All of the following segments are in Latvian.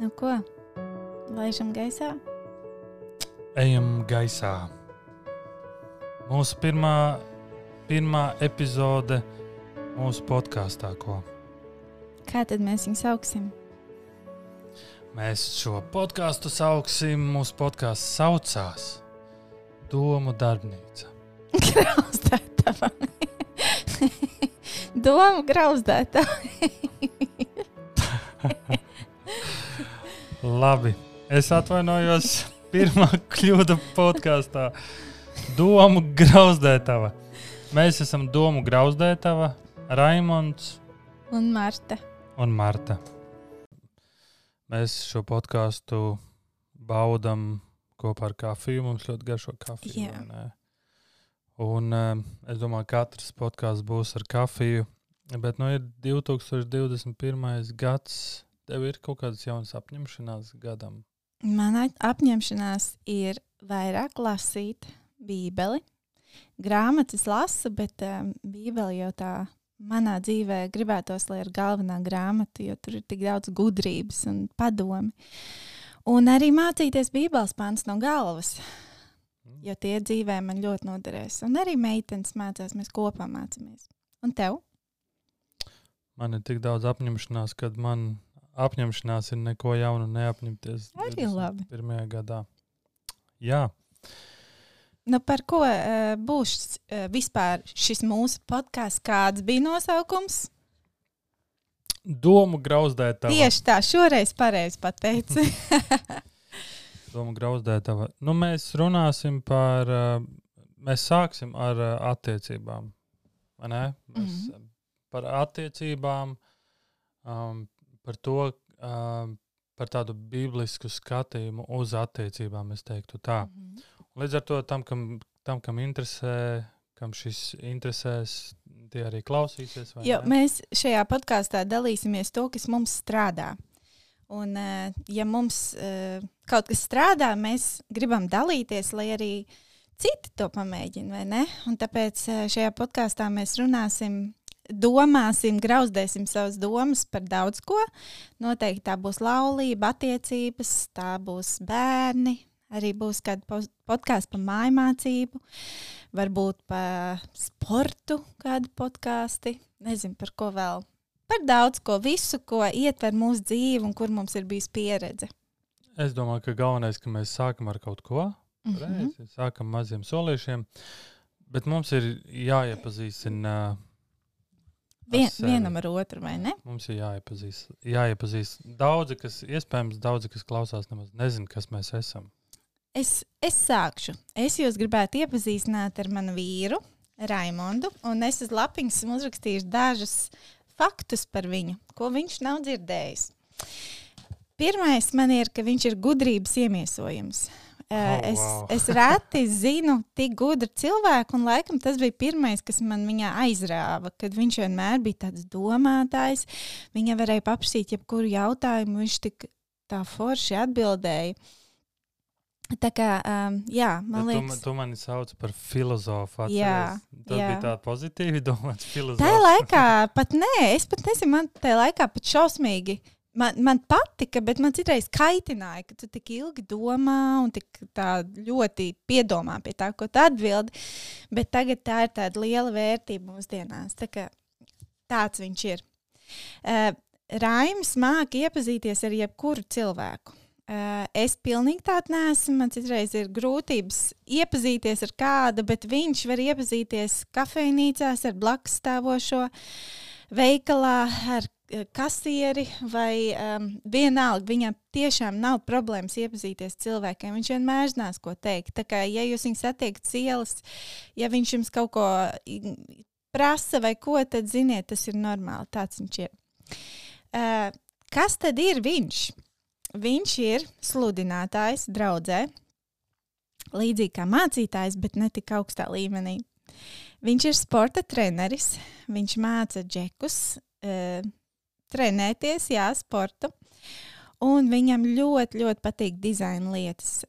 Nu ko? Laižam gaisā? Ejam gaisā. Mūsu pirmā epizode mūsu podkāstā, ko? Kā tad mēs viņu sauksim? Mēs šo podkāstu sauksim, mūsu podkāsts saucās Domu darbnīca. Grauzdētava. Domu grauzdētava. Labi, es atvainojos. Pirmā kļūda podkāstā. Domu grauzdētava. Mēs esam Domu grauzdētava, Raimonds Un Marta. un Marta. Mēs šo podkāstu baudam kopā ar kafiju. Mums ļoti garšo kafiju. Jā. vai ne? Un es domāju, ka katrs podkāsts būs ar kafiju. Bet ir 2021. gads. Tev ir kaut kādas jaunas apņemšanās gadam? Mana apņemšanās ir vairāk lasīt bībeli. Grāmatas lasu, bet bībeli jau tā manā dzīvē gribētos, lai ir galvenā grāmata, jo tur ir tik daudz gudrības un padomi. Un arī mācīties bībeles pants no galvas, jo tie dzīvē man ļoti noderēs. Un arī meitenes mācās, mēs kopā mācāmies. Un tev? Man ir tik daudz apņemšanās, kad man apņemšanās ir neko jaunu neapņemties Arī labi. 21. gadā. Jā, Nu, par ko būs vispār šis mūsu podkāsts? Kāds bija nosaukums? Domu grauzdētava. Tieši tā, šoreiz pareizi pateici. Domu grauzdētava. Mēs runāsim par, mēs sāksim ar attiecībām. Vai ne? Mēs par attiecībām, par to, par tādu bīblisku skatījumu uz attiecībām, es teiktu tā. Līdz ar to tam, kam interesē, kam šis interesēs, tie arī klausīsies. Vai Jo ne? mēs šajā podkāstā dalīsimies to, kas mums strādā. Un, ja mums kaut kas strādā, mēs gribam dalīties, lai arī citi to pamēģina, vai ne? Un tāpēc šajā podkāstā mēs runāsim, domāsim, grauzdēsim savas domas par daudz ko. Noteikti tā būs laulība, attiecības, tā būs bērni. Arī būs kāda podkāsts par mājmācību, varbūt par sportu kādu podkāsti. Nezinu, par ko vēl. Par daudz ko, visu, ko ietver mūsu dzīvi un kur mums ir bijis pieredze. Es domāju, ka galvenais, ka mēs sākam ar kaut ko. Reizi, sākam maziem solīšiem, bet mums ir jāiepazīstina Vienam ar otru, vai ne? Mums ir jāiepazīst. Daudzi, kas klausās, nemaz nezin, kas mēs esam. Es sākšu. Es jūs gribētu iepazīstināt ar manu vīru, Raimondu, un es uz lapiņas esmu uzrakstījuši dažus faktus par viņu, ko viņš nav dzirdējis. Pirmais man ir, ka viņš ir gudrības iemiesojums. Wow. Es reti zinu tik gudru cilvēku, un laikam tas bija pirmais, kas man viņā aizrāva, kad viņš vienmēr bija tāds domātājs. Viņa varēja paprasīt jebkuru jautājumu, viņš tik tā forši atbildēja. Tā kā, jā, man liekas... Tu mani sauc par filozofu. Jā, Tas bija tā pozitīvi domāts filozofs. Tajā laikā pat nē, es pat nezinu, man tajā laikā pat šausmīgi. Man patika, bet man citreiz kaitināja, ka tu tik ilgi domā un tik tā ļoti piedomā pie tā, ko tu atbildi. Bet tagad tā ir tāda liela vērtība mūsdienās. Tā kā tāds viņš ir. Raims māca iepazīties ar jebkuru cilvēku. Es pilnīgi tāda neesmu. Man citreiz ir grūtības iepazīties ar kādu, bet viņš var iepazīties kafejnīcās ar blakus stāvošo, veikalā ar kasieri vai vienalga. Viņam tiešām nav problēmas iepazīties cilvēkiem. Viņš vienmēr zinās, ko teikt. Tā kā, ja jūs viņu satiekat ielas, ja viņš jums kaut ko prasa vai ko, tad ziniet, tas ir normāli. Tāds viņš ir. Kas tad ir viņš? Viņš ir sludinātājs draudzē, līdzīgi kā mācītājs, bet ne tik augstā līmenī. Viņš ir sporta treneris, viņš māca džekus trenēties, sportu, un viņam ļoti, ļoti patīk dizaina lietas,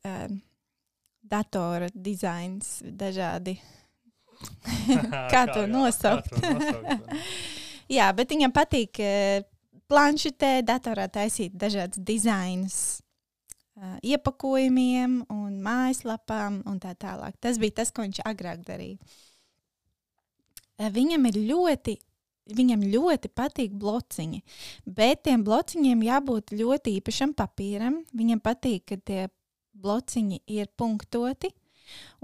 datora dizains, dažādi, kā to nosaukt. Jā, bet viņam patīk planšetē, datorā taisīt dažādas dizainus iepakojumiem un mājaslapām un tā tālāk. Tas bija tas, ko viņš agrāk darīja. Viņam ļoti patīk blociņi, bet tiem blociņiem jābūt ļoti īpašam papīram. Viņam patīk, ka tie blociņi ir punktoti,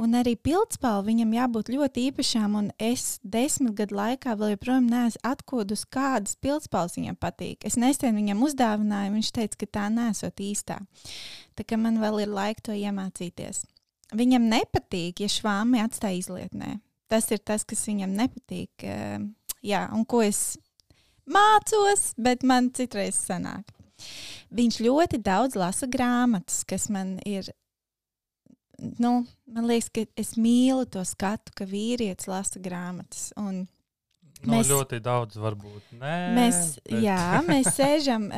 un arī pildspalva viņam jābūt ļoti īpašām, un es 10 gadu laikā vēl joprojām neesmu atkodus, kādas pildspalvas viņam patīk. Es nesen viņam uzdāvināju, viņš teica, ka tā nesot īstā. Tā kā man vēl ir laika to iemācīties. Viņam nepatīk, ja švāmi atstāja izlietnē. Tas ir tas, kas viņam nepatīk. Jā, un ko es mācos, bet man citreiz sanāk. Viņš ļoti daudz lasa grāmatas, kas man ir, man liekas, ka es mīlu to skatu, ka vīrietis lasa grāmatas. Un mēs, ļoti daudz varbūt. Nē, mēs sēžam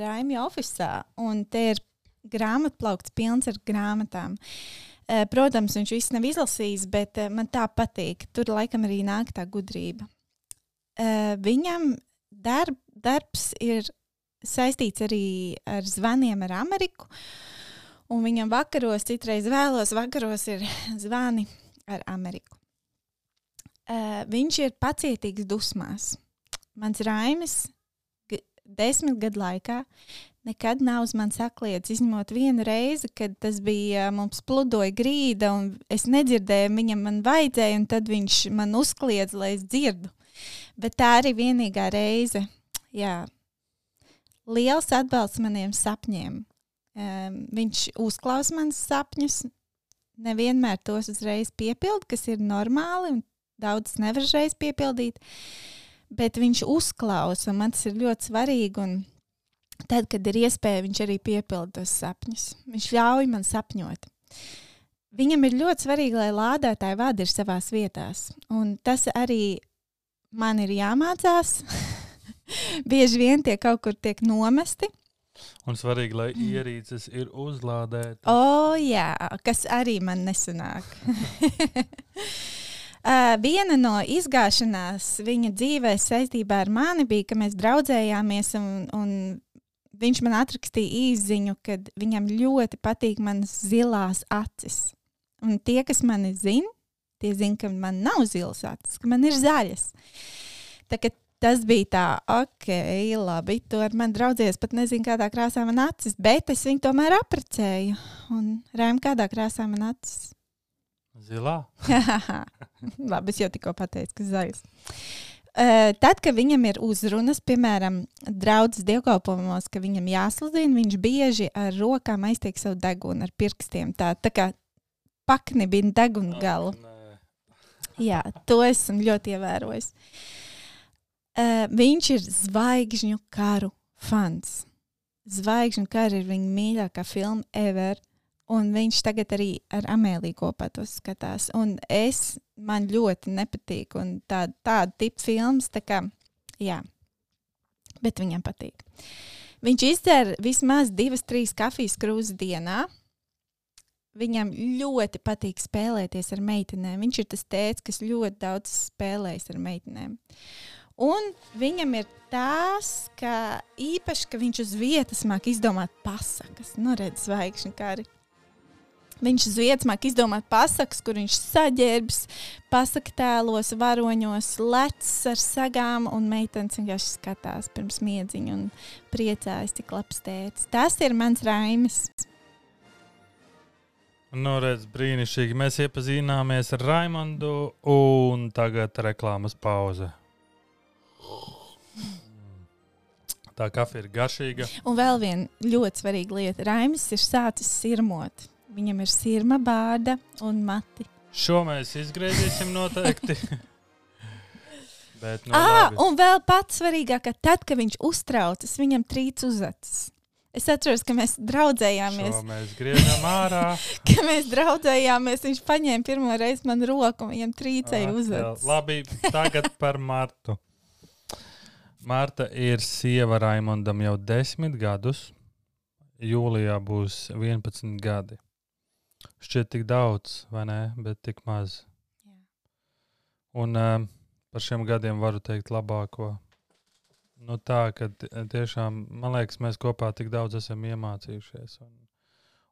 Raimja ofisā, un te ir grāmatplaukts pilns ar grāmatām. Protams, viņš viss nav izlasījis, bet man tā patīk. Tur laikam arī nāk tā gudrība. Viņam darbs ir saistīts arī ar zvaniem ar Ameriku, un viņam citreiz vēlos vakaros ir zvani ar Ameriku. Viņš ir pacietīgs dusmās. Mans Raimis 10 gadu laikā nekad nav uz mani sakliedz, izņemot vienu reizi, kad tas bija, mums pludoja grīda, un es nedzirdēju, viņam man vajadzēja, un tad viņš man uzkliedz, lai es dzirdu. Bet tā arī vienīgā reize. Jā. Liels atbalsts maniem sapņiem. Viņš uzklausa manas sapņus, nevienmēr tos uzreiz piepild, kas ir normāli, un daudz nevar uzreiz piepildīt, bet viņš uzklausa, un man tas ir ļoti svarīgi, un tad, kad ir iespēja, viņš arī piepilda tos sapņus. Viņš ļauj man sapņot. Viņam ir ļoti svarīgi, lai lādētāji vārdi ir savās vietās. Un tas arī man ir jāmācās. Bieži vien tie kaut kur tiek nomesti. Un svarīgi, lai ierīces ir uzlādētas. Jā, kas arī man nesanāk. Viena no izgāšanās viņa dzīvē saistībā ar mani bija, ka mēs draudzējāmies un viņš man atrakstīja īsziņu, kad viņam ļoti patīk manas zilās acis. Un tie, kas mani zina, tie zina, ka man nav zilas acis, ka man ir zaļas. Tā kā tas bija tā, labi, tu ar mani draudzējies, pat nezinu, kādā krāsā man acis, bet es viņu tomēr apprecēju. Un Raim, kādā krāsā man acis? Zilā? Labi, es jau tikko pateicu, ka zaļas. Tad, kad viņam ir uzrunas, piemēram, draudzes dievkalpojumos, ka viņam jāsludina, viņš bieži ar rokām aiztiek savu degunu ar pirkstiem. Tā kā paknibina degunu galu. Jā, to esmu ļoti ievērojis. Viņš ir Zvaigžņu karu fans. Zvaigžņu kara ir viņa mīļākā filma ever. Un viņš tagad arī ar Amēliju kopā to skatās. Un man ļoti nepatīk. Un tāda tipa filmas, tā kā, jā. Bet viņam patīk. Viņš izdzer vismaz 2-3 kafijas krūzes dienā. Viņam ļoti patīk spēlēties ar meitenēm. Viņš ir tas tēvs, kas ļoti daudz spēlējas ar meitenēm. Un viņam ir tās, ka īpaši, ka viņš uz vietas māk izdomāt pasakas. Nu, redz, Zvaigžņu kari. Viņš uz vietas māk izdomāt pasakas, kur viņš saģērbs, pasaka tēlos, varoņos, lecs ar sagām, un meitenes vienkārši skatās pirms miedziņu un priecājas, cik labs tētis. Tas ir mans Raimis. Nu, redz, brīnišķīgi. Mēs iepazināmies ar Raimondu, un tagad reklāmas pauze. Tā kafija ir garšīga. Un vēl viena ļoti svarīga lieta. Raimis ir sācis sirmot. Viņam ir sirma, bārda un mati. Šo mēs izgriezīsim noteikti. Bet, un vēl pats svarīgāk, ka tad, kad viņš uztraucas, viņam trīc uz acis. Es atceros, ka mēs draudzējāmies. Šo mēs griežam ārā. Ka mēs draudzējāmies, viņš paņēma pirmo reizi man roku un viņam trīcēja uz acis. Labi, tagad par Martu. Marta ir sieva Raimondam jau 10 gadus. Jūlijā būs 11 gadi. Šķiet tik daudz, vai ne? Bet tik maz. Jā. Un par šiem gadiem varu teikt labāko. Nu tā, ka tiešām, man liekas, mēs kopā tik daudz esam iemācījušies.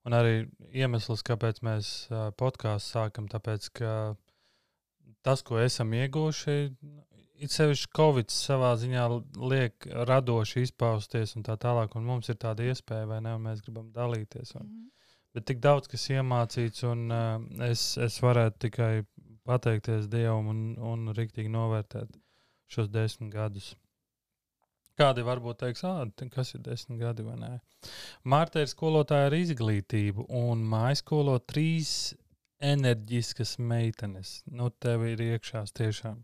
Un arī iemesls, kāpēc mēs podkāstu sākam, tāpēc, ka tas, ko esam ieguvuši, it sevišķi Covid savā ziņā liek radoši izpausties un tā tālāk, un mums ir tāda iespēja, vai ne, un mēs gribam dalīties. Bet tik daudz, kas iemācīts, un es varētu tikai pateikties Dievam un riktīgi novērtēt šos 10 gadus. Kādi varbūt teiks, kas ir 10 gadi vai nē. Marta ir skolotāja ar izglītību un mājskolo 3 enerģiskas meitenes. Nu, tev ir iekšās tiešām.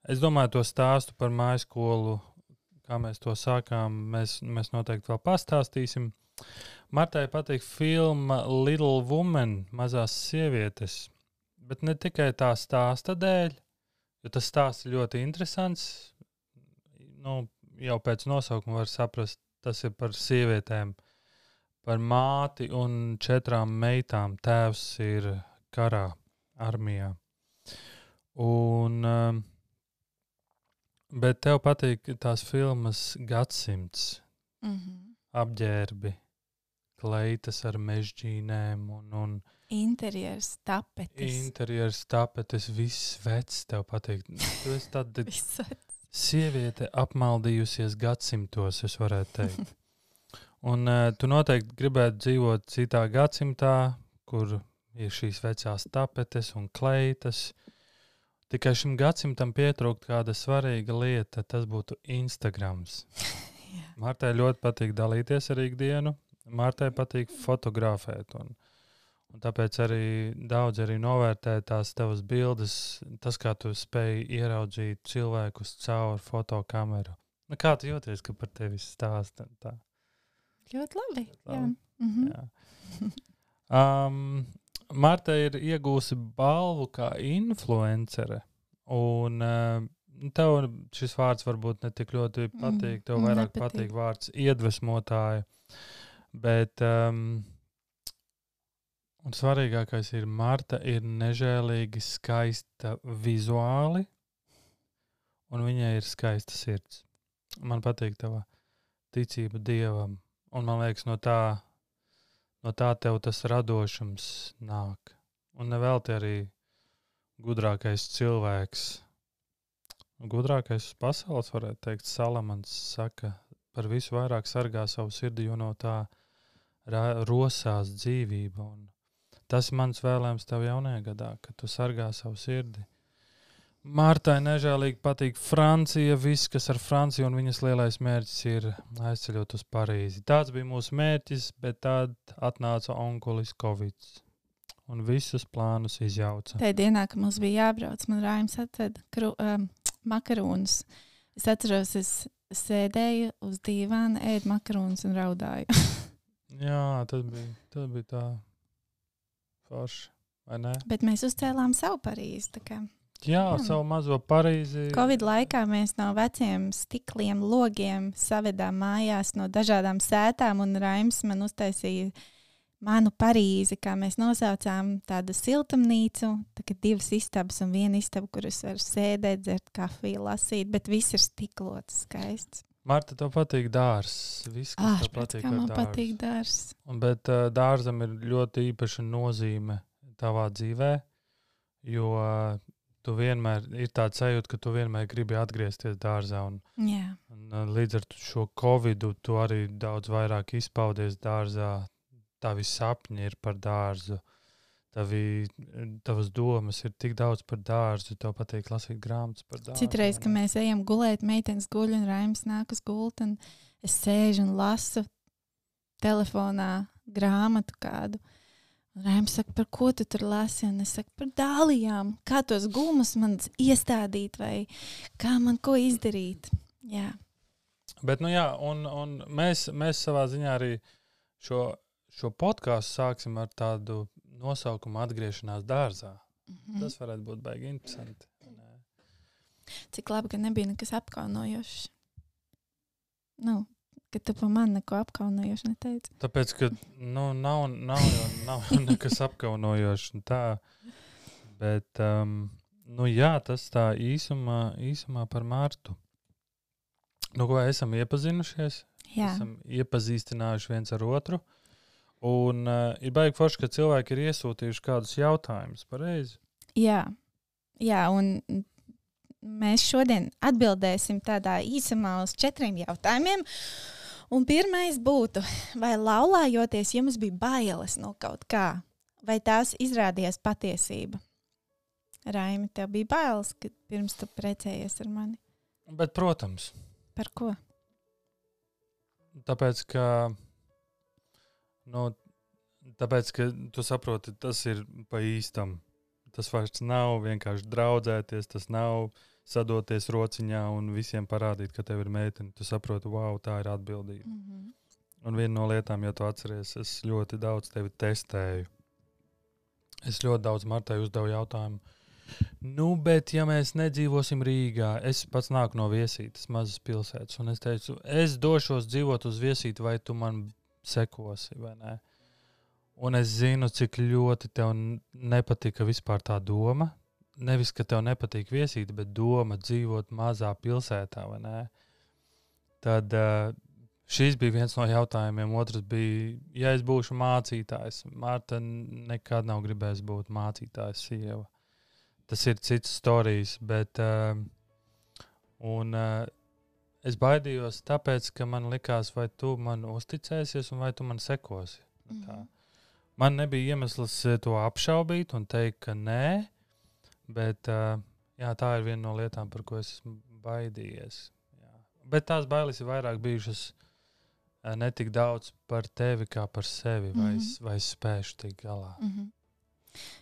Es domāju, to stāstu par mājskolu, kā mēs to sākām, mēs noteikti vēl pastāstīsim. Martai patīk filma Little Woman, mazās sievietes, bet ne tikai tā stāsta dēļ, jo tas stāsts ir ļoti interesants. Nu, jau pēc nosaukuma var saprast, tas ir par sievietēm, par māti un 4 meitām. Tēvs ir karā, armijā. Bet tev patīk tās filmas Gadsimts, apģērbi, kleitas ar mežģīnēm un interjers, tapetes, viss vecs tev patīk. Tu esi tāda sieviete apmaldījusies gadsimtos, es varētu teikt. Un tu noteikti gribētu dzīvot citā gadsimtā, kur ir šīs vecās tapetes un kleitas. Tikai šim gadsimtam pietrūkt kāda svarīga lieta, tas būtu Instagrams. Martai ļoti patīk dalīties ar ikdienu, Martai patīk fotografēt, un tāpēc arī daudz arī novērtē tās tavas bildes, tas, kā tu spēj ieraudzīt cilvēkus caur fotokameru. Nu, kā tu jūties, ka par tevi stāsta? Tā? Ļoti labi. Jā. Marta ir iegūsi balvu kā influencere, un tev šis vārds varbūt ne tik ļoti patīk, tev vairāk patīk vārds iedvesmotāja, bet un svarīgākais ir, Marta ir nežēlīgi skaista vizuāli, un viņai ir skaista sirds. Man patīk tava ticība Dievam, un man liekas, no tā tev tas radošums nāk. Un nevelti arī gudrākais cilvēks, gudrākais pasaules, varētu teikt, Salamans saka, par visu vairāk sargā savu sirdi, jo no tā rosās dzīvība. Un tas ir mans vēlējums tev jaunajā gadā, ka tu sargā savu sirdi. Martai nežēlīgi patīk Francija, viss, kas ar Franciju, un viņas lielais mērķis ir aizceļot uz Parīzi. Tāds bija mūsu mērķis, bet tad atnāca onkulis Covid un visus plānus izjauca. Tajā dienā, kad mums bija jābrauc, man Raims atveda makarūnus. Es atceros, es sēdēju uz dīvāna, ēdu makarūnus un raudāju. Jā, tas bija tā forši, vai ne? Bet mēs uzcēlām savu Parīzi, tā kā. Jā, savu mazo Parīzi. Covid laikā mēs no veciem stikliem, logiem savedām mājās no dažādām sētām, un Raims man uztaisīja manu Parīzi, kā mēs nosaucām, tādu siltumnīcu, tā 2 istabas un 1 istaba, kur es varu sēdēt, dzert kafiju, lasīt, bet viss ir stiklots, skaists. Marta, tev patīk dārzs. Viss, kas tev patīk ar dārzu. Patīk dārzs. Bet dārzam ir ļoti īpaša nozīme tavā dzīvē, jo tu vienmēr ir tāds sajūta, ka tu vienmēr gribi atgriezties dārzā. Un līdz ar šo Covidu tu arī daudz vairāk izpaudies dārzā. Tavi sapņi ir par dārzu. Tavas domas ir tik daudz par dārzu, tev patīk lasīt grāmatas par dārzu. Citreiz, kad mēs ejam gulēt, meitenes guļ un Raims nāk uz gultu, un es sēžu un lasu telefonā grāmatu kādu. Un Raims saka, par ko tu tur lasi? Un es saku, par dālijām. Kā tos gumus man iestādīt vai kā man ko izdarīt? Jā. Bet, nu jā, un mēs savā ziņā arī šo podkāstu sāksim ar tādu nosaukumu atgriešanās dārzā. Tas varētu būt baigi interesanti. Cik labi, ka nebija nekas apkaunojošs. Ka tu pa man neko apkaunojošu neteici. Tāpēc, ka nav nekas apkaunojošs un tā. Bet, jā, tas tā īsumā par Martu. Nu, ko esam iepazinušies, Jā. esam iepazīstinājuši viens ar otru. Un ir baigi forši, ka cilvēki ir iesūtījuši kādus jautājumus, pareizi? Jā, un mēs šodien atbildēsim tādā īsumā uz 4 jautājumiem. Un pirmais būtu, vai laulājoties jums bija bailes no kaut kā, vai tās izrādījās patiesība? Raimi, tev bija bailes, kad pirms tu precējies ar mani? Bet, protams. Par ko? Tāpēc, ka tu saproti, tas ir pa īstam. Tas vairs nav vienkārši draudzēties, tas nav sadoties rociņā un visiem parādīt, ka tev ir meitene. Tu saproti, wow, tā ir atbildība. Mm-hmm. Un viena no lietām, ja tu atceries, es ļoti daudz tevi testēju. Es ļoti daudz Martai uzdevu jautājumu. Nu, bet ja mēs nedzīvosim Rīgā, es pats nāku no Viesītes, mazas pilsētas, un es teicu, es došos dzīvot uz Viesīti, vai tu man sekosi, vai nē? Un es zinu, cik ļoti tev nepatika vispār tā doma. Nevis, ka tev nepatīk Viesīte, bet doma dzīvot mazā pilsētā, vai nē? Tad šīs bija viens no jautājumiem. Otrs bija, ja es būšu mācītājs. Marta nekad nav gribējis būt mācītājs sieva. Tas ir cits storijas, bet es baidījos tāpēc, ka man likās, vai tu man uzticēsies un vai tu man sekosi. Mm-hmm. Man nebija iemesls to apšaubīt un teikt, ka nē, bet jā, tā ir viena no lietām, par ko es esmu baidījies. Jā. Bet tās bailes ir vairāk bijušas ne tik daudz par tevi kā par sevi, vai es spēšu tikt galā. Mm-hmm.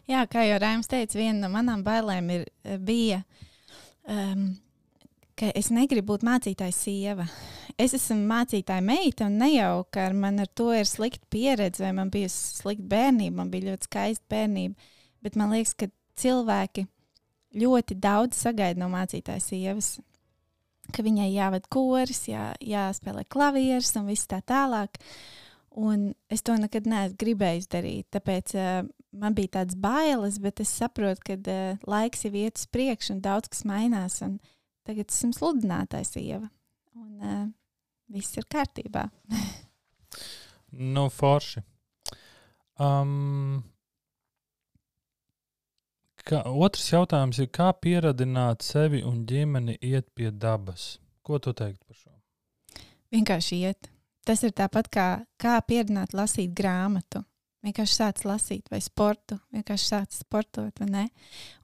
Jā, kā jau Raims teica, viena no manām bailēm bija, ka es negribu būt mācītāja sieva. Es esmu mācītāja meita, un ne jau, ka man ar to ir slikta pieredze, vai man bija slikta bērnība, man bija ļoti skaista bērnība, bet man liekas, ka cilvēki ļoti daudz sagaida no mācītāja sievas, ka viņai jāved koris, jāspēlē klavieres un viss tā tālāk. Un es to nekad neesmu gribējis darīt, tāpēc man bija tāds bailes, bet es saprotu, ka laiks jau iet uz priekšu un daudz kas mainās, un tagad esmu sludinātājs sieva, un viss ir kārtībā. Nu, forši. Otrs jautājums ir, kā pieradināt sevi un ģimeni iet pie dabas? Ko tu teikt par šo? Vienkārši iet. Tas ir tāpat kā pieradināt lasīt grāmatu. Vienkārši sāc lasīt vai sportu, vienkārši sāc sportot, vai ne?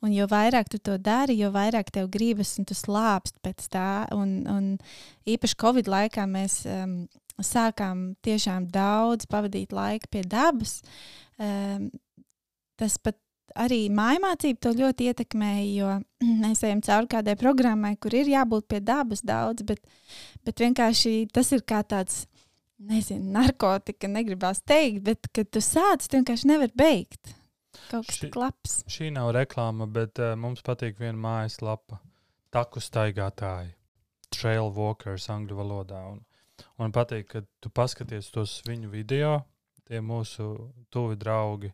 Un jo vairāk tu to dari, jo vairāk tev gribas un tu slāpst pēc tā. Un īpaši Covid laikā mēs sākām tiešām daudz pavadīt laiku pie dabas. Tas pat arī mājmācība to ļoti ietekmēja, jo mēs ejam cauri kādai programmai, kur ir jābūt pie dabas daudz, bet vienkārši tas ir kā tāds, nezinu, narkotika, negribās teikt, bet, kad tu sāc, tu vienkārši nevar beigt. Kaut kas tik labs. Šī nav reklāma, bet mums patīk viena mājaslapa. Taku staigātāji. Trail walkers angļu valodā. Un patīk, ka tu paskaties tos viņu video, tie mūsu tuvi draugi,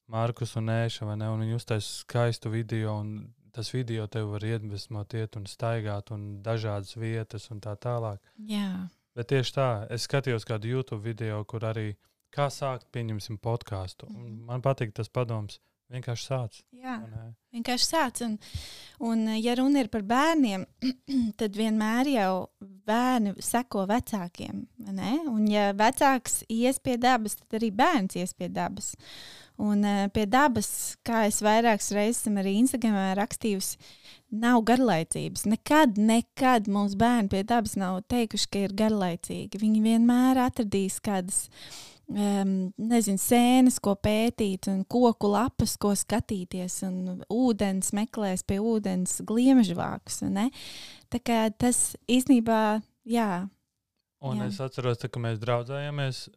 Markus un Ēša, vai ne? Un viņi uztais skaistu video, un tas video tev var iedvesmot iet un staigāt, un dažādas vietas un tā tālāk. Jā. Bet tieši tā, es skatījos kādu YouTube video, kur arī kā sākt, pieņemsim podcastu. Man patīk tas padoms, vienkārši sāc. Jā, vienkārši sāc. Un ja runa ir par bērniem, tad vienmēr jau bērni seko vecākiem, ne? Un ja vecāks ies pie dabas, tad arī bērns ies pie dabas. Un pie dabas, kā es vairākas reizes arī Instagramā rakstījusi, nav garlaicības. Nekad mūsu bērni pie dabas nav teikuši, ka ir garlaicīgi. Viņi vienmēr atradīs kādas, sēnes, ko pētīt, un koku lapas, ko skatīties, un ūdens meklēs pie ūdens gliemežvākus. Ne? Tā kā tas īstenībā, jā. Un jā. Es atceros, ka mēs draudzējāmies.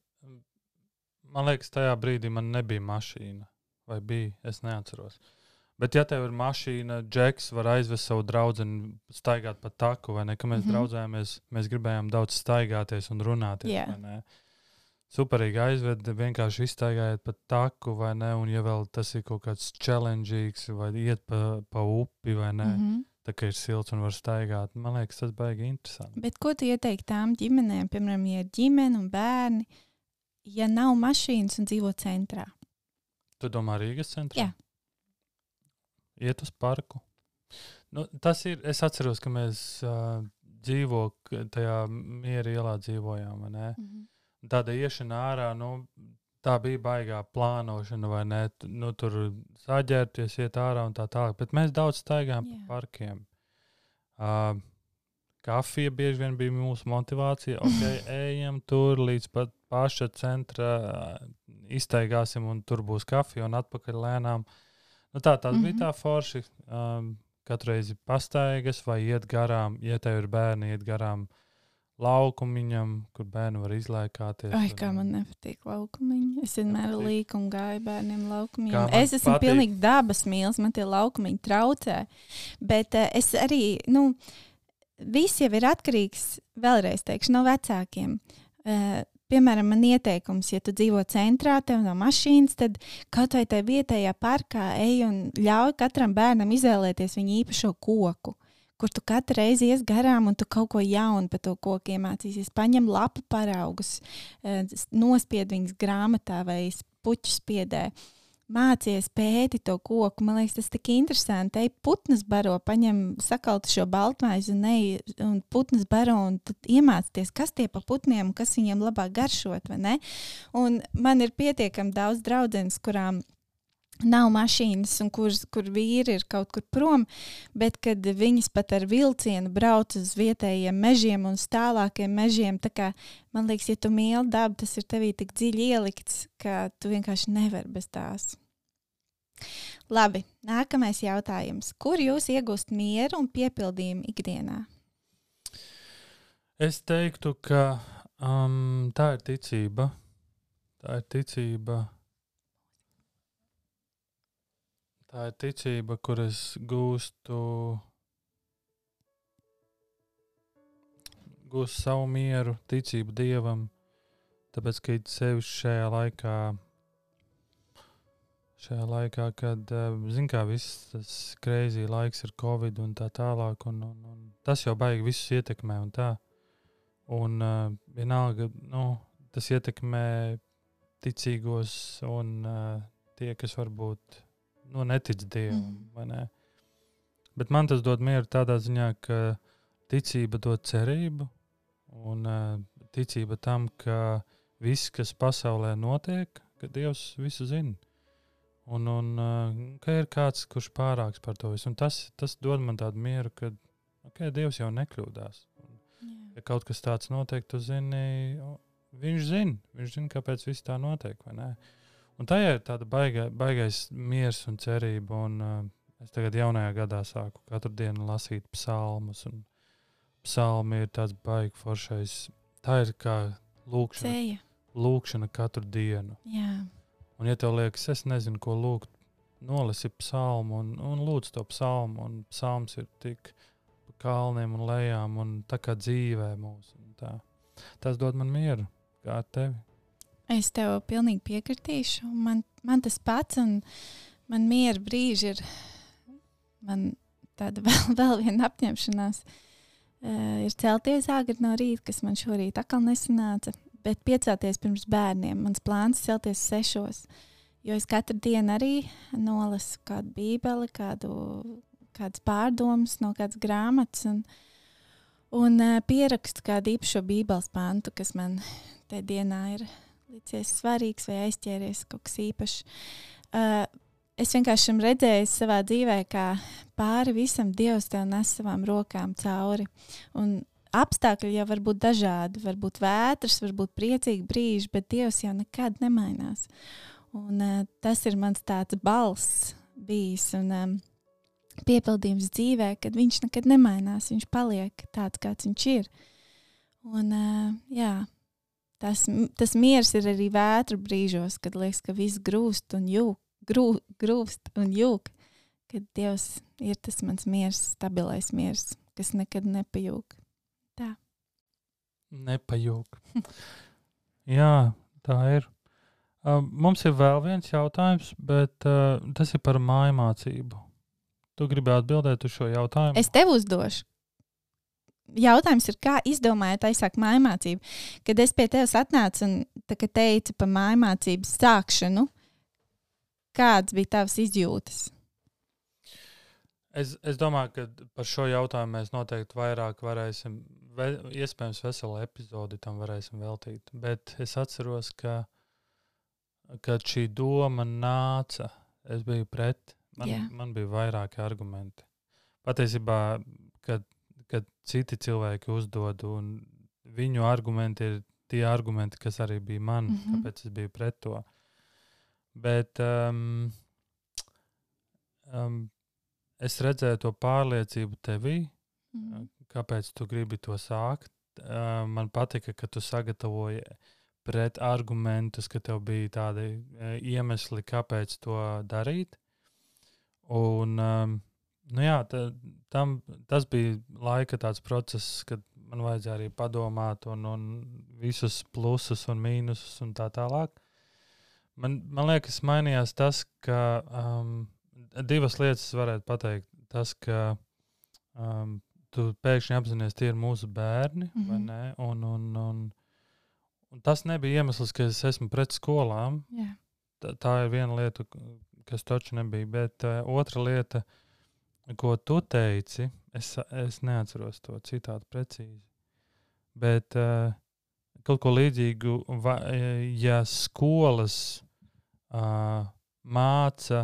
Man liekas, tajā brīdī man nebija mašīna. Vai bija? Es neatceros. Bet ja tev ir mašīna, Džeks var aizvest savu draudzeni staigāt pa taku, vai ne? Ka mēs draudzējāmies, mēs gribējām daudz staigāties un runāties, vai ne? Superīgi aizved, vienkārši izstaigājiet pa taku, vai ne? Un ja vēl tas ir kaut kāds challengeīgs, vai iet pa upi, vai ne? tā kā ir silts un var staigāt. Man liekas, tas baigi interesanti. Bet ko tu ieteiktu tām ģimenēm, piemēram, ja ir ģimene un bērni, ja nav mašīnas un dzīvo centrā? Tu domā Rīgas centrā? Jā. Iet uz parku. Nu, tas ir, es atceros, ka mēs tajā Miera ielā dzīvojām, vai ne? Tāda iešana ārā, tā bija baigā plānošana, vai ne? Nu, tur saģērties, iet ārā un tā tālāk. Bet mēs daudz staigājām pa parkiem. Kafija bieži vien bija mūsu motivācija. Ok, ejam tur līdz pat paša centra, iztaigāsim un tur būs kafija un atpakaļ lēnām. Nu, tas bija tā forši. Katru reizi pastaigas vai iet garām, ja tev ir bērni, iet garām laukumiņam, kur bērni var izlaikāties. Ai, kā man nepatīk laukumiņi. Es vienmēr līku un gāju bērniem laukumiņiem. Es esmu pilnīgi dabas mīls, man tie laukumiņi traucē. Bet es arī, viss jau ir atkarīgs, vēlreiz teikšu, no vecākiem. Piemēram, man ieteikums, ja tu dzīvo centrā, tev nav mašīnas, tad kaut vai tajā vietējā parkā ej un ļauj katram bērnam izvēlēties viņa īpašo koku, kur tu katru reizi ies garām un tu kaut ko jaunu par to koku iemācīsies. Paņem lapu paraugus, nospied viņas grāmatā vai puķu spiedē. Mācies pēti to koku. Man liekas, tas tik interesanti. Ej putnas baro, paņem sakaltu šo baltmaizi un putnas baro un tad iemācīties, kas tie pa putniem un kas viņiem labāk garšot, vai ne? Un man ir pietiekami daudz draudzenes, kurām nav mašīnas un kur vīri ir kaut kur prom, bet kad viņas pat ar vilcienu brauc uz vietējiem mežiem un tālākiem mežiem, tā kā, man liekas, ja tu mīli dabu, tas ir tevī tik dziļi ielikts, ka tu vienkārši nevari bez tās. Labi, nākamais jautājums. Kur jūs iegūst mieru un piepildījumu ikdienā? Es teiktu, ka tā ir ticība. Tā ir ticība, kur es gūstu savu mieru, ticību Dievam, tāpēc, ka it sevišķi šajā laikā, kad, zin kā, viss tas crazy laiks ir Covid un tā tālāk, un tas jau baigi visus ietekmē un tā. Un vienalga, tas ietekmē ticīgos un tie, kas varbūt netic Dievam, vai ne? Bet man tas dod mieru tādā ziņā, ka ticība dod cerību un ticība tam, ka viss, kas pasaulē notiek, ka Dievs visu zina. Un ka ir kāds, kurš pārāks par to visu. Un tas dod man tādu mieru, ka Dievs jau nekļūdās. Ja kaut kas tāds notiek, tu zini, viņš zina, kāpēc viss tā notiek, vai ne? Un tajā ir tāda baigais miers un cerība, un es tagad jaunajā gadā sāku katru dienu lasīt psalmus, un psalmi ir tāds baigi foršais. Tā ir kā lūkšana katru dienu. Jā. Un ja tev liekas, es nezinu, ko lūgt, nolasi psalmu un lūdz to psalmu, un psalms ir tik pa kalniem un lejām, un tā kā dzīvē mūs. Tas dod man mieru, kā ar tevi. Es tev pilnīgi piekritīšu. Man tas pats, un man miera brīži ir man tāda vēl viena apņemšanās. Ir celties agri no rīta, kas man šorīt atkal nesanāca, bet piecelties pirms bērniem. Mans plāns ir celties 6, jo es katru dienu arī nolasu kādu bībeli, kādas pārdomas no kādas grāmatas un pierakstu kādu īpašo bībeles pantu, kas man tajā dienā ir licies svarīgs vai aizķēries kaut kas īpašs. Es vienkārši esmu redzējis savā dzīvē, kā pāri visam Dievs tev nes savām rokām cauri. Un apstākļi jau var būt dažādi, var būt vētras, var būt priecīgi brīži, bet Dievs jau nekad nemainās. Un tas ir mans tāds balss bijis un piepildījums dzīvē, kad viņš nekad nemainās, viņš paliek tāds, kāds viņš ir. Un tas miers ir arī vētru brīžos, kad liekas, ka viss grūst un jūk, kad Dievs ir tas mans miers, stabilais miers, kas nekad nepajūk. Tā. Nepajūk. Jā, tā ir. Mums ir vēl viens jautājums, bet tas ir par mājmācību. Tu gribi atbildēt uz šo jautājumu? Es tev uzdošu. Jautājums ir, kā izdomājāt aizsākt mājmācību? Kad es pie tevis atnācu un teicu par mājmācības sākšanu, kāds bija tavs izjūtas? Es domāju, ka par šo jautājumu mēs noteikti vairāk varēsim, iespējams veselu epizodi tam varēsim veltīt. Bet es atceros, ka šī doma nāca, es biju pret, man bija vairāki argumenti. Patiesībā, kad citi cilvēki uzdod, un viņu argumenti ir tie argumenti, kas arī bija man, kāpēc es biju pret to. Bet es redzēju to pārliecību tevī, kāpēc tu gribi to sākt. Man patika, ka tu sagatavoji pret argumentus, ka tev bija tādi iemesli, kāpēc to darīt. Un tas bija laika tāds process, kad man vajadzēja arī padomāt un visus plusus un mīnusus un tā tālāk. Man liekas, mainījās tas, ka divas lietas varētu pateikt. Tas, ka tu pēkšņi apzinies, tie ir mūsu bērni, vai ne? Un tas nebija iemesls, ka es esmu pret skolām. Yeah. Tā ir viena lieta, kas taču nebija. Bet otra lieta, ko tu teici, es neatceros to citātu precīzi. Bet kaut ko līdzīgu, ja skolas māca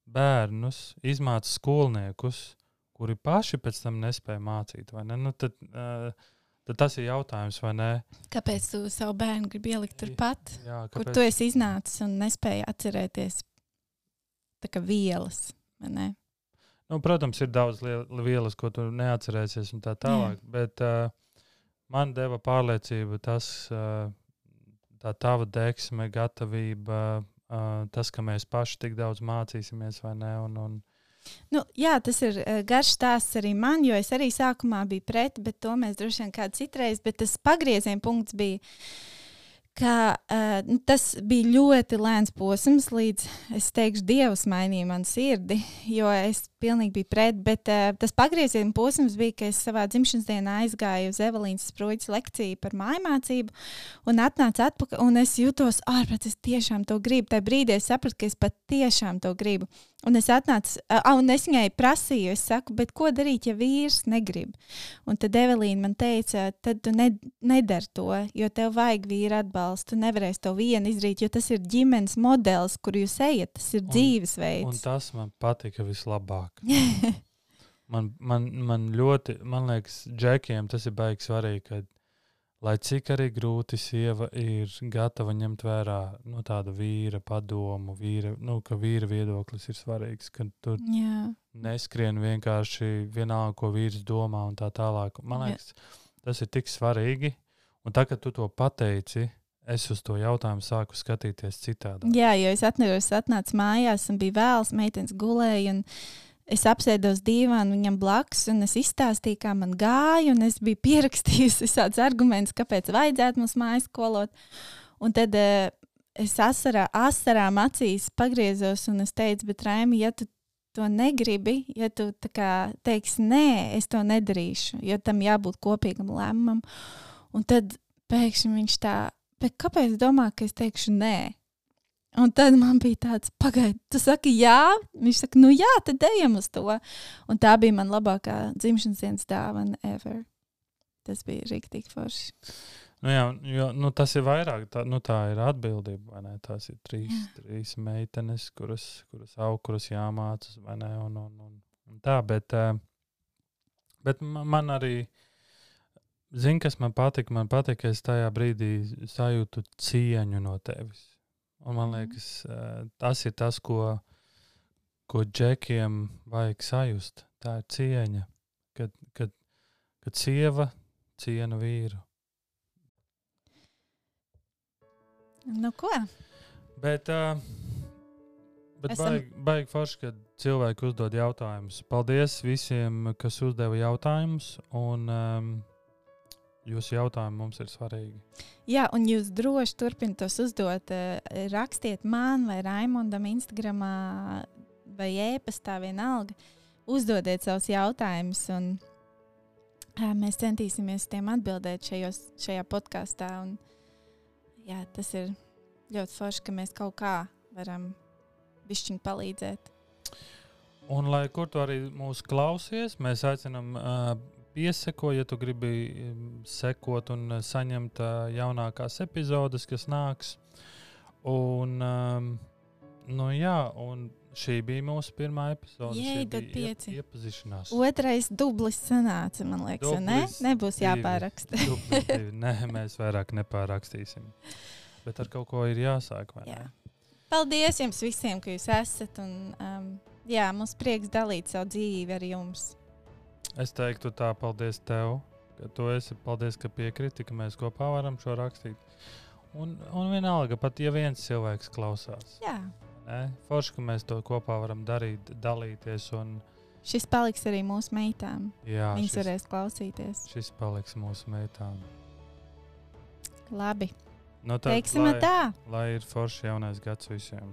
bērnus, izmāca skolniekus, kuri paši pēc tam nespēja mācīt, vai ne? Nu, tad tas ir jautājums, vai ne? Kāpēc tu savu bērnu gribi ielikt turpat, kāpēc? Kur tu esi iznācis un nespēji atcerēties tā kā vielas, vai ne? Nu, protams, ir daudz vielas, ko tu neatcerēsies un tā tālāk, bet man deva pārliecība tas, tā tava deksme, gatavība, tas, ka mēs paši tik daudz mācīsimies, vai ne? Nu, jā, tas ir garš stāsts arī man, jo es arī sākumā biju pret, bet to mēs droši vien kādu citreiz, bet tas pagrieziena punkts bija, ka tas bija ļoti lēns posms, līdz, es teikšu, Dievs mainīja manu sirdi, jo es pilnīgi biju pret, bet tas pagrieziena posms bija, ka es savā dzimšanas dienā aizgāju uz Evelīnas Spruiķes lekciju par mājmācību un atnācu atpakaļ, un es jutos ārprāt, es tiešām to gribu. Tajā brīdī es sapratu, ka es pat tiešām to gribu. Un es atnācu, un es viņai prasīju, es saku, bet ko darīt, ja vīrs negrib? Un tad Evelīna man teica, tad tu nedari to, jo tev vajag vīra atbalstu, tu nevarēsi to vienu izdarīt, jo tas ir ģimenes modelis, kur jūs ejat, tas ir dzīvesveids. Un tas man patika vislabāk. Man ļoti, man liekas, džekiem tas ir baigi svarīgi, ka, lai cik arī grūti sieva ir gatava ņemt vērā tādu vīra padomu, ka vīra viedoklis ir svarīgs, ka tu neskrien vienkārši vienalga, ko vīrs domā un tā tālāk. Man liekas, tas ir tik svarīgi, un tā, kad tu to pateici, es uz to jautājumu sāku skatīties citādi. Jā, jo es atnācu mājās un bija vēls, meitenes gulēja, un es apsēdos dīvānu viņam blakus, un es izstāstīju, kā man gāja, un es biju pierakstījusi visādus argumentus, kāpēc vajadzētu mums mājas skolot. Un tad es asarām acīs pagriezos, un es teicu, bet Raimi, ja tu to negribi, ja tu tā kā teiksi, nē, es to nedarīšu, jo tam jābūt kopīgam lēmumam. Un tad pēkšņi viņš tā, bet kāpēc domā, ka es teikšu nē? Un tad man bija tāds, pagaidi, tu saki jā? Viņš saka, nu jā, tad ejam uz to. Un tā bija man labākā dzimšanas dienas dāvana ever. Tas bija riktīgi forši. Nu jā, jo tas ir vairāk, tā ir atbildība, vai ne? Tās ir trīs meitenes, kuras jāmācas, vai ne? Un tā, bet man arī, zini, kas man patika? Man patika, ka es tajā brīdī sajūtu cieņu no tevis. Un man liekas, tas ir tas, ko džekiem vajag sajust. Tā ir cieņa, kad sieva ciena vīru. Nu ko? Bet baigi forši, kad cilvēki uzdod jautājumus. Paldies visiem, kas uzdeva jautājumus, un jūsu jautājumi mums ir svarīgi. Jā, un jūs droši turpiniet tos uzdot. Rakstiet man vai Raimondam Instagramā vai e-pastā, vienalga. Uzdodiet savus jautājumus, un mēs centīsimies tiem atbildēt šajā podkāstā. Un, jā, tas ir ļoti forši, ka mēs kaut kā varam bišķiņ palīdzēt. Un, lai kur tu arī mūs klausies, mēs aicinām pieseko, ja tu gribi sekot un saņemt jaunākās epizodes, kas nāks. Un, un šī bija mūsu pirmā epizode. Jei, tad 5. Iepazīšanās. Otrais dublis sanāca, man liekas, ne? Nebūs jāpāraksta. Nē, mēs vairāk nepārakstīsim. Bet ar kaut ko ir jāsāk, vai ne? Paldies jums visiem, ka jūs esat. Un, mums prieks dalīt savu dzīvi ar jums. Es teiktu tā, paldies tev, ka tu esi, paldies, ka piekriti, ka mēs kopā varam šo rakstīt. Un vienalga, pat ja viens cilvēks klausās. Jā. Forši, ka mēs to kopā varam darīt, dalīties. Un šis paliks arī mūsu meitām. Jā, viņas varēs klausīties. Šis paliks mūsu meitām. Labi. Tad, teiksim tā. Lai ir forši jaunais gads visiem.